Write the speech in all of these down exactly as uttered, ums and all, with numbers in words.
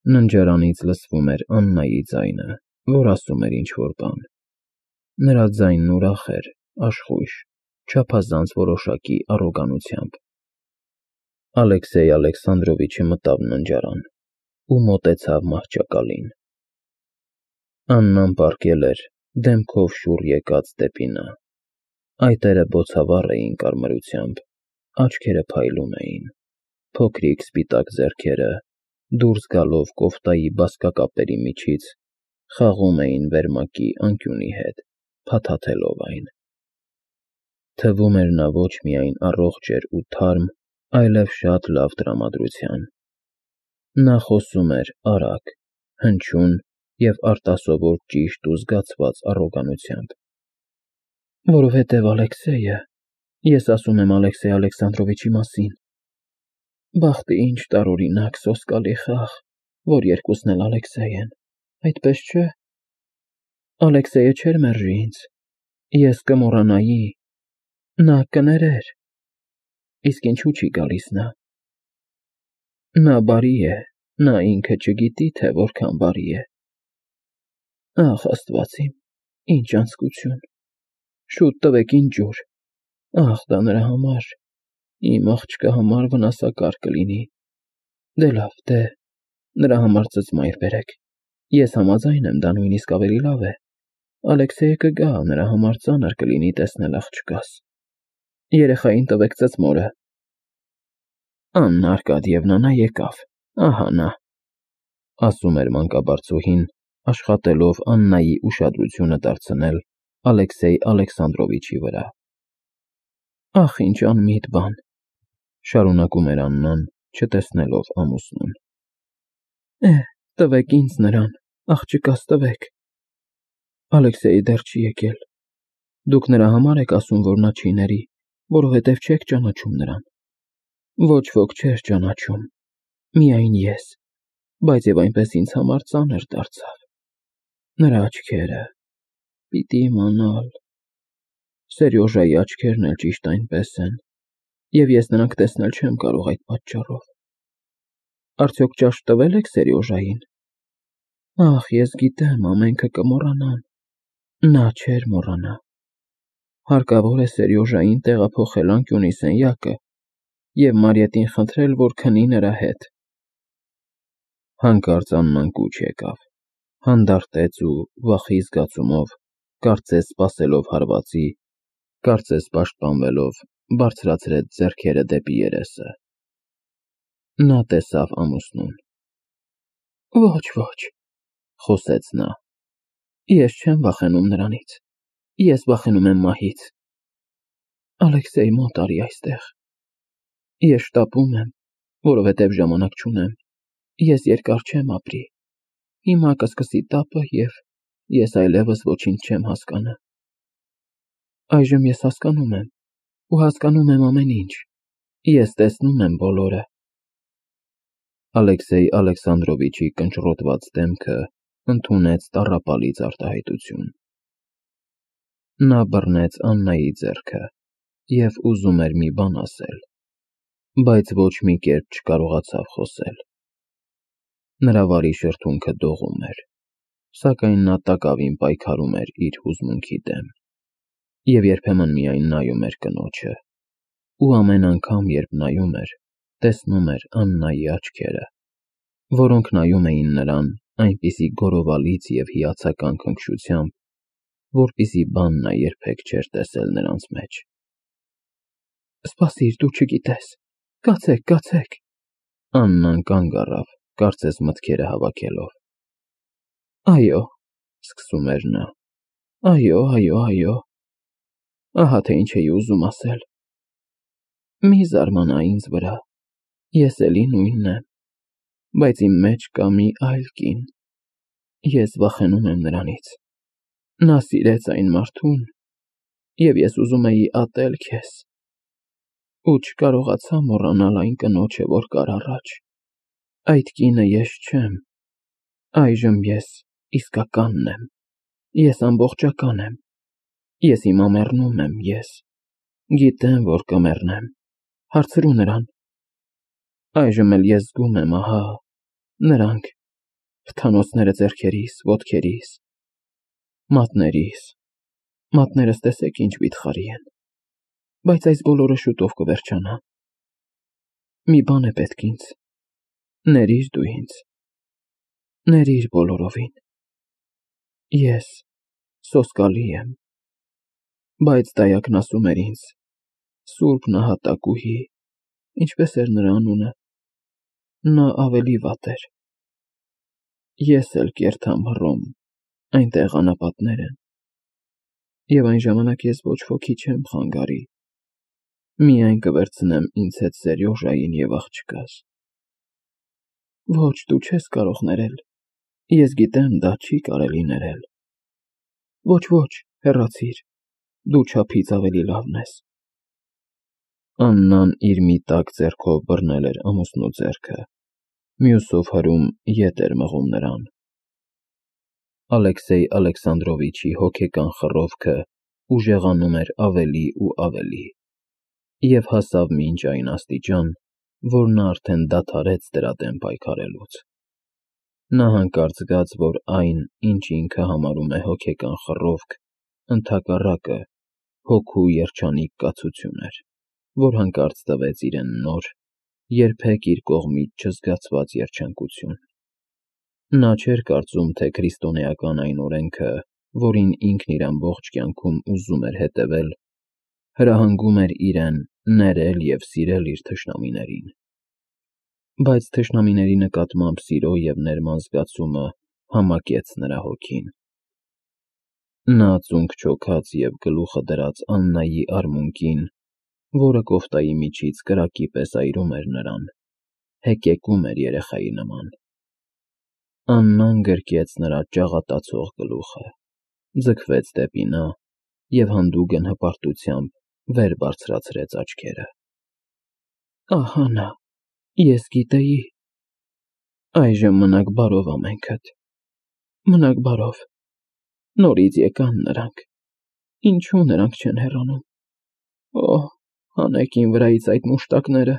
Ննջարանից լսվում էր Աննայի ձայնը, որ ասում էր ինչ֊որ բան. նրա ձայնն ուրախ էր, աշխույժ, չափազանց որոշակի առոգանությամբ։ Ալեքսեյ Ալեքսանդրովիչը մտավ ննջարան ու մոտեցավ մահճակալին։ Աննան պառկել էր, դեմքով շուռ եկած դեպի նա։ Այտերը բոցավառ էին կարմրությամբ, աչքերը փայլում էին, փոքրիկ սպիտակ ձեռքերը, դուրս գալով կոֆտայի բազկակապերի միջից, խաղում էին վերմակի անկյունի հետ, փաթաթելով այն։ Թվում էր նա ոչ միայն առողջ էր ու թարմ, այլև շատ լավ տրամադրության։ Նա խոսում էր արագ, հնչյուն և արտասովոր ճիշտ ու զգացված առոգանությամբ։ Որովհետև Ալեքսեյը, ես ասում եմ Ալեքսեյ Ալեքսանդրովիչի մասին, բախտի ինչ տարօրինակ սոսկալի խաղ, որ երկուսն էլ Ալեքսեյ են, այդպես չէ։ Ալեքսեյը չէր մերժի ինձ, ես կմոռանայի, նա կներեր, իսկ ինչու չի գալիս նա։ Նա բարի է, նա ինքը չգիտի, թե որքան բարի է։ Ախ, Աստված իմ, ինչ անձկություն, շուտ տվեք ինձ ջուր, ախ, դա նրա համար, իմ աղջկա համար վնասակար կլինի։ Դե լավ, դե, նրա համար ծծմայր բերեք, ես համաձայն եմ, դա նույնիսկ ավելի լավ է։ Ալեքսեյը կգա, նրա համար ծանր կլինի տեսնել աղջկաս։ Երեխային տվեք ծծմորը։ Աննա Արկադիևնա, նա եկավ, ահա նա, ասում էր մանկաբարձուհին, աշխատելով Աննայի ուշադրությունը դարձնել Ալեքսեյ Ալեքսանդրովիչի վրա։ Ախ, ինչ անմիտ բան, շարունակում էր Աննան, չտեսնելով ամուսնուն։ Է, տվեք ինձ նրան, աղջկաս տվեք։ Ալեքսեյը դեռ չի եկել։ Դուք նրա համար եք ասում, որ նա չի ների, որովհետև չեք ճանաչում նրան։ Ոչ ոք չէր ճանաչում, միայն ես, բայց և այնպես ինձ համար ծանր դարձավ։ Նրա աչքերը, պիտի իմանալ, Սերյոժայի աչքերն էլ ճիշտ այնպես են, և ես նրանք տեսնել չեմ կարող այդ պատճառով։ Արդյոք ճաշ տվե՞լ եք Սերյոժային։ Ախ, ես գիտեմ, ամենքը կմոռանան, նա չէր մոռանա։ Հարկավոր է Սերյոժային տեղափոխել անկյունի սենյակը և Մարիետին խնդրել, որ քնի նրա հետ։ Հանկարծ Աննան կուչ եկավ, հանդարտեց ու վախի զգացումով, կարծես սպասելով հարվածի, կարծես պաշտպանվելով, բարձրացրեց ձեռքերը դեպի երեսը։ Նա տեսավ ամուսնուն։ Ոչ, ոչ, խոսեց նա, ես չեմ վախենում նրանից, ես վախենում եմ մահից։ Ալեքսեյ, մոտ արի այստեղ։ Ես շտապում եմ, որովհետև ժամանակ չունեմ, ես երկար չեմ ապրի, հիմա կսկսի տապը և ես այլևս ոչինչ չեմ հասկանը։ Այժմ ես հասկանում եմ ու հասկանում եմ ամեն ինչ, ես տեսնում եմ բոլորը։ Ալեքսեյ Ալեքսանդրովիչի կնճռոտված դեմքը ընդունեց տառապալից արտահայտություն։ Նա բռնեց Աննայի ձեռքը և ուզում էր մի բան ասել, բայց ոչ մի կերպ չկարողացավ խոսել։ Նրա վարի շրթունքը դողում էր, սակայն նա տակավին պայքարում էր իր հուզմունքի դեմ և երբեմն միայն նայում էր կնոջը, ու ամեն անգամ, երբ նայում էր, տեսնում էր Աննայի աչքերը, որոնք նայում էին նրան այնպիսի գոռովալից և հիացական քնքշությամբ, որպիսի բան նա երբեք չէր տեսել նրանց մեջ։ Սպասիր, դու չգիտես, կացեք, կացեք։ Աննան կանգ առավ, կարծես մտքերը հավաքելով։ Այո, սկսում էր նա, այո, այո, այո, ահա թե ինչ էի ուզում ասել։ Մի զարմանա ինձ վրա, ես էլի նույնն եմ, բայց իմ մեջ կա մի այլ կին, ես վախենում եմ նրանից։ Նա սիրեց այն մարդուն, և ես ուզում էի ատել քեզ, ու չկարողացա մոռանալ այն կնոջը, որ կար առաջ։ Այդ կինը ես չեմ, այժմ ես իսկականն եմ, ես ամբողջական եմ, ես հիմա մեռնում եմ, ես գիտեմ, որ կմեռնեմ, հարցրու նրան։ Այժմ էլ ես զգում եմ, ահա, նրանք Հթանոցները ձեռքերիս, ոտքերիս, մատներիս, մատներս տեսեք ինչ վիթխարի են, բայց այս բոլորը շուտով կվերջանա։ Մի բան է պետք ինձ, ներիր դու ինձ, ներիր բոլորովին։ Ես սոսկալի եմ, բայց դայակն ասում էր ինձ, Սուրբ Նահատակուհի, ինչպես էր նրա անունը, նա ավելի վատ էր։ Ես էլ կերթամ Հռոմ, այնտեղ անապատներ են, և այն ժամանակ ես ոչ ոքի չեմ խանգարի, միայն կվերցնեմ ինձ հետ Սերյոժային և աղջկաս։ Ոչ, դու չես կարող ներել, ես գիտեմ, դա չի կարելի ներել։ Ոչ, ոչ, հեռացիր, դու չափից ավելի լավն ես։ Աննան իր մի տաք ձեռքով բռնել էր ամուսնու ձեռքը, մյուսով հրում ետ էր մղում նրան։ Ալեքսեյ Ալեքսանդրովիչի հոգեկան խռովքը ուժեղանում էր ավելի ու ավելի, և հասավ մինչ այն աստիճան, որ նա արդեն դադարեց դրա դեմ պայքարելուց։ Նա հանկարծ զգաց, որ այն, ինչ ինքը համարում է հոգեկան խռովք, ընդհակառակը հոգու երջանիկ կացություն էր, որ հանկարծ տվեց իրեն նոր, երբեք իր կողմից չզգացված երջանկություն։ Նա չէր կարծում, թե քրիստոնեական այն օրենքը, որին ինքն իր ամբողջ կյանքում ուզում էր հետևել, հրահանգում էր իրեն ներել և սիրել իր թշնամիներին։ Բայց թշնամիների նկատմամբ սիրո և ներման զգացումը համակեց նրա հոգին։ Նա ծունկ չոքաց և գլուխը դրած Աննայի արմունկին, որը կոֆտայի միջից կրակի պես այրում էր նրան, հեկեկում էր երեխայի նման։ Աննան գրկեց նրա ճաղատացող գլուխը, ձգվեց դեպի նա և հանդուգն հպարտությամբ վեր բարձրացրեց աչքերը։ Ահա նա, ես գիտեի։ Այժմ մնաք բարով ամենքդ, մնաք բարով, նորից եկան նրանք, ինչու նրանք չեն հեռանում։ Օհ, հանեք իմ վրայից այդ մուշտակները։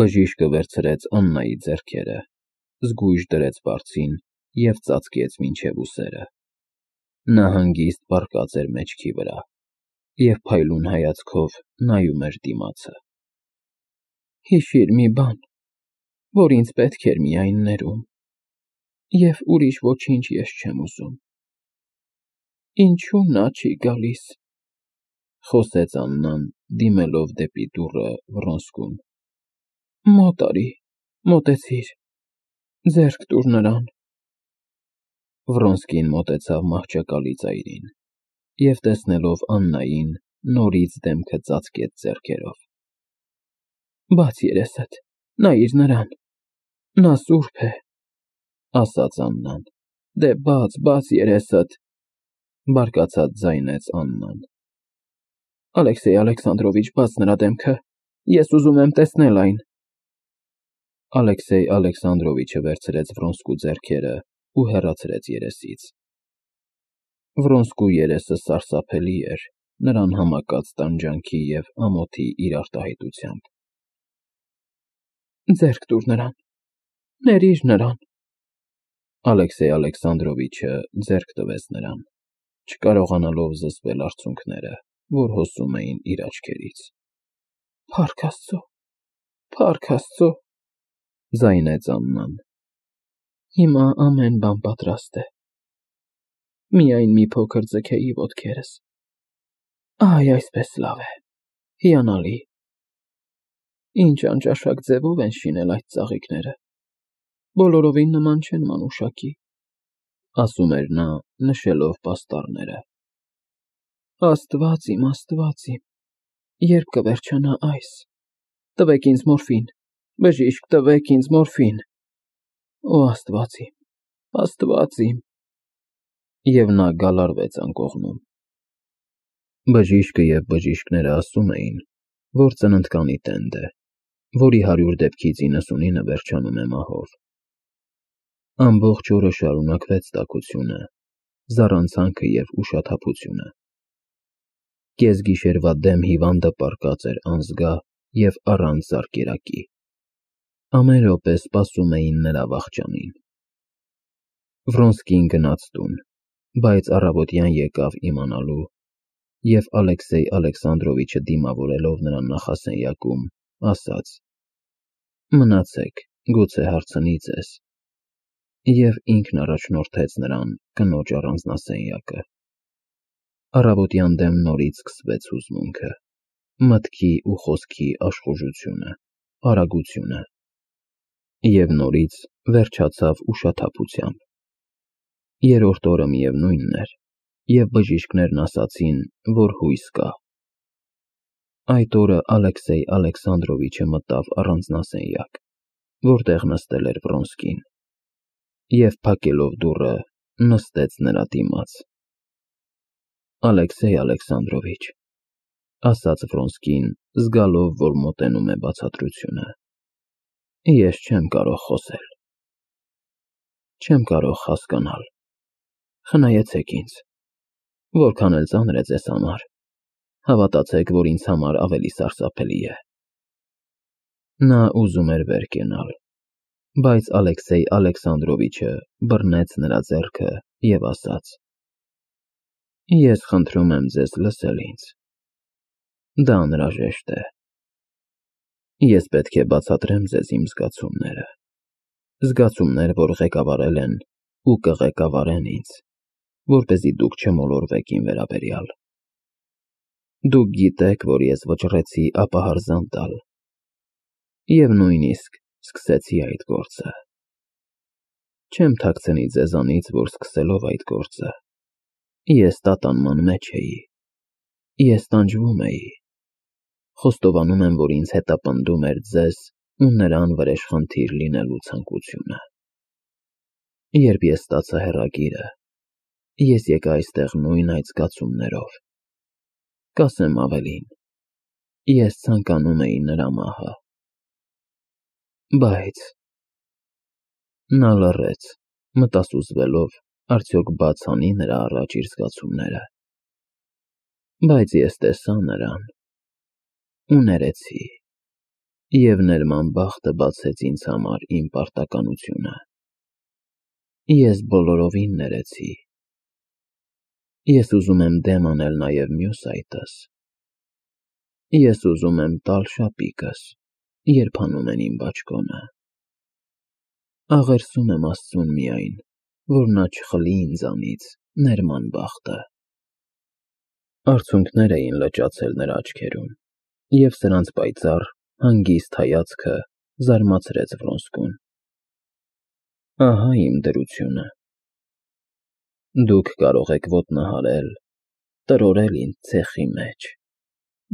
Բժիշկը վերցրեց Աննայի ձեռքերը, զգույշ դրեց բարձին և ծածկեց մինչև ուսերը։ Նա հանգիստ պառկած էր մեջքի վրա և փայլուն հայացքով նայում էր դիմացը։ Հիշիր մի բան, որ ինձ պետք էր միայն ներում, և ուրիշ ոչինչ ես չեմ ուզում։ Ինչու նա չի գալիս, խոսեց Աննան, դիմելով դեպի դուռը Վռոնսկուն։ Մոտ արի, մոտեցիր, ձեռք տուր նրան։ Վռոնսկին մոտեցավ մահճակալի ծայրին և, տեսնելով Աննային, նորից դեմքը ծածկեց ձեռքերով։ Բաց երեսդ, նայիր նրան, նա սուրբ է, ասաց Աննան։ Դե բաց, բաց երեսդ, բարկացած ձայնեց Աննան։ Ալեքսեյ Ալեքսանդրովիչ, բաց նրա դեմքը, ես ուզում եմ տեսնել այն։ Ալեքսեյ Ալեքսանդրովիչը վերցրեց Վռոնսկու ձեռքերը ու հեռացրեց երեսից։ Վռոնսկու երեսը սարսափելի էր նրան համակած տանջանքի և ամոթի իր արտահայտությամբ։ Ձեռք տուր նրան, ներիր նրան։ Ալեքսեյ Ալեքսանդրովիչը ձեռք տվեց նրան, չկարողանալով զսպել արցունքները, որ հոսում էին իր աչքերից։ Փառք Աստծո, փառք Աստծո, ձայնեց Աննան։ Հիմա ամեն բան պատրաստ է։ Միայն մի փոքր ձգեի ոտքերս։ Այ այսպես լավ է, հիանալի։ Ինչ անճաշակ ձևով են շինել այդ ծաղիկները, բոլորովին նման չեն մանուշակի, ասում էր նա, նշելով պաստառները։ Աստված իմ, Աստված իմ, երբ կվերջանա այս։ Տվեք ինձ մորֆին, բժիշկ, տվեք ինձ մորֆին։ Օ Աստված իմ, Աստված իմ։ Եվ նա գալարվեց անկողնում։ Բժիշկը և բժիշկները ասում էին, որ ծննդկանի տենդ է, որի հարյուր դեպքից իննսունինը վերջանում է մահով։ Ամբողջ օրը շարունակվեց տաքությունը, զառանցանքը և ուշաթափությունը։ Կեսգիշերվա դեմ հիվանդը պառկած էր անզգա և առանց զարկերակի։ Ամեն րոպե սպասում էին նրա վախճանին։ Վրոնսկին գնաց տուն, բայց առավոտյան եկավ իմանալու և Ալեքսեյ Ալեքսանդրովիչը դիմավորելով նրան նախասենյակում, ասաց. «Մնացեք, գուցե հարցնի ձեզ», և ինքն առաջնորդեց նրան կնոջ առանձնասենյակը։ Առավոտյան դեմ նորից սկսվեց հուզմունքը, մտքի ու խոսքի աշխուժությունը, արագությունը, և նորից վերջացավ ուշաթափությամբ։ Երրորդ օրը միևնույնն էր, և բժիշկներն ասացին, որ հույս կա։ Այդ օրը Ալեքսեյ Ալեքսանդրովիչը մտավ առանձնասենյակ, որտեղ նստել էր Վրոնսկին, և փակելով դուռը, նստեց նրա դիմաց։ «Ալեքսեյ Ալեքսանդրովիչ», ասաց Վրոնսկին, զգալով, որ մոտենում է բացատրությունը, «ես չեմ կարող խոսել, չեմ կարող հասկանալ, խնայեցեք ինձ, որքան էլ ծանր է ձեզ համար, հավատացեք, որ ինձ համար ավելի սարսափելի է»։ Նա ուզում էր վեր կենալ, բայց Ալեքսեյ Ալեքսանդրովիչը բռնեց նրա ձեռքը և ասաց. «Ես խնդրում եմ ձեզ լսել ինձ, դա անհրաժեշտ է։ Ես պետք է բացատրեմ ձեզ իմ զգացումները, զգացումներ, որ ղեկավարել են ու կղեկավարեն ինձ, որպեսզի դուք չմոլորվեք իմ վերաբերյալ։ Դուք գիտեք, որ ես վճռեցի ապահարզան տալ և նույնիսկ սկսեցի այդ գործը։ Չեմ թաքցնի ձեզանից, որ սկսելով այդ գործը, ես տատանման մեջ էի, ես տանջվում էի, խոստովանում եմ, որ ինձ հետապնդում էր ձեզ ու նրան վրեժխնդիր լինելու ցանկությունը։ Երբ ես ստացա հեռագիրը, ես եկա այստեղ նույն այդ զգացումներով, կասեմ ավելին, ես ցանկանում էի նրա մահը։ Բայց…» Նա լռեց, մտասուզվելով, արդյոք բաց անի նրա առաջ իր զգացումները։ «Բայց ես տեսա նրան ու ներեցի, և ներման բախտը բացեց ինձ համար իմ պարտականությունը։ Ես բոլորովին ներեցի։ Ես ուզում եմ դեմ անել նաև մյուս այտս։ Ես ուզում եմ տալ շապիկս, երբ հանում են իմ բաճկոնը։ Աղերսում եմ Աստծուն միայն, որ նա չխլի ինձանից ներման բախտը»։ Արցունքներ էին լճացել նրա աչքերում, և սրանց պայծառ, հանգիստ հայացքը զարմացրեց Վրոնսկուն։ «Ահա իմ դրությունը. դուք կարող եք ոտնահարել, տրորել ինձ ցեխի մեջ,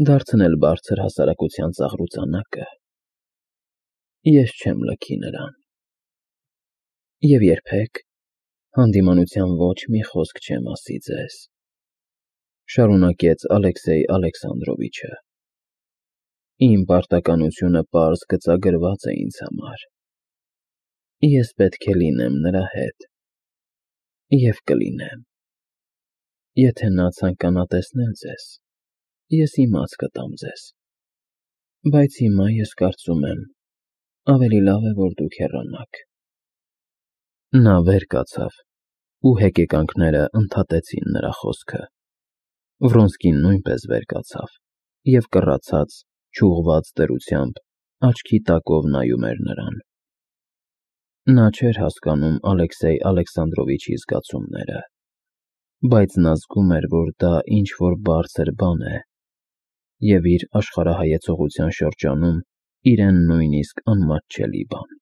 դարձնել բարձր հասարակության ծաղրուծանակը։ Ես չեմ լքի նրան։ Եվ երբեք հանդիմանության ոչ մի խոսք չեմ ասի ձեզ», շարունակեց Ալեքսեյ Ալեքսանդրովիչը։ «Իմ պարտականությունը պարզ գծագրված է ինձ համար։ Ես պետք է լինեմ նրա հետ և կլինեմ։ Եթե նա ցանկանա տեսնել ձեզ, ես իմաց կտամ ձեզ, բայց հիմա ես կարծում եմ, ավելի լավ է, որ դուք հեռանաք»։ Նա վեր կացավ, ու հեկեկանքները ընդհատեցին նրա խոսքը։ Վրոնսկին նույնպես վեր կացավ և կռացած, չուղղված դրությամբ աչքի տակով նայում էր նրան։ Նա չէր հասկանում Ալեքսեյ Ալեքսանդրովիչի զգացումները, բայց նա զգում էր, որ դա ինչ֊որ բարձր բան է և իր աշխարհայեցողության շրջանում իրեն նույնիսկ անմատչելի բան։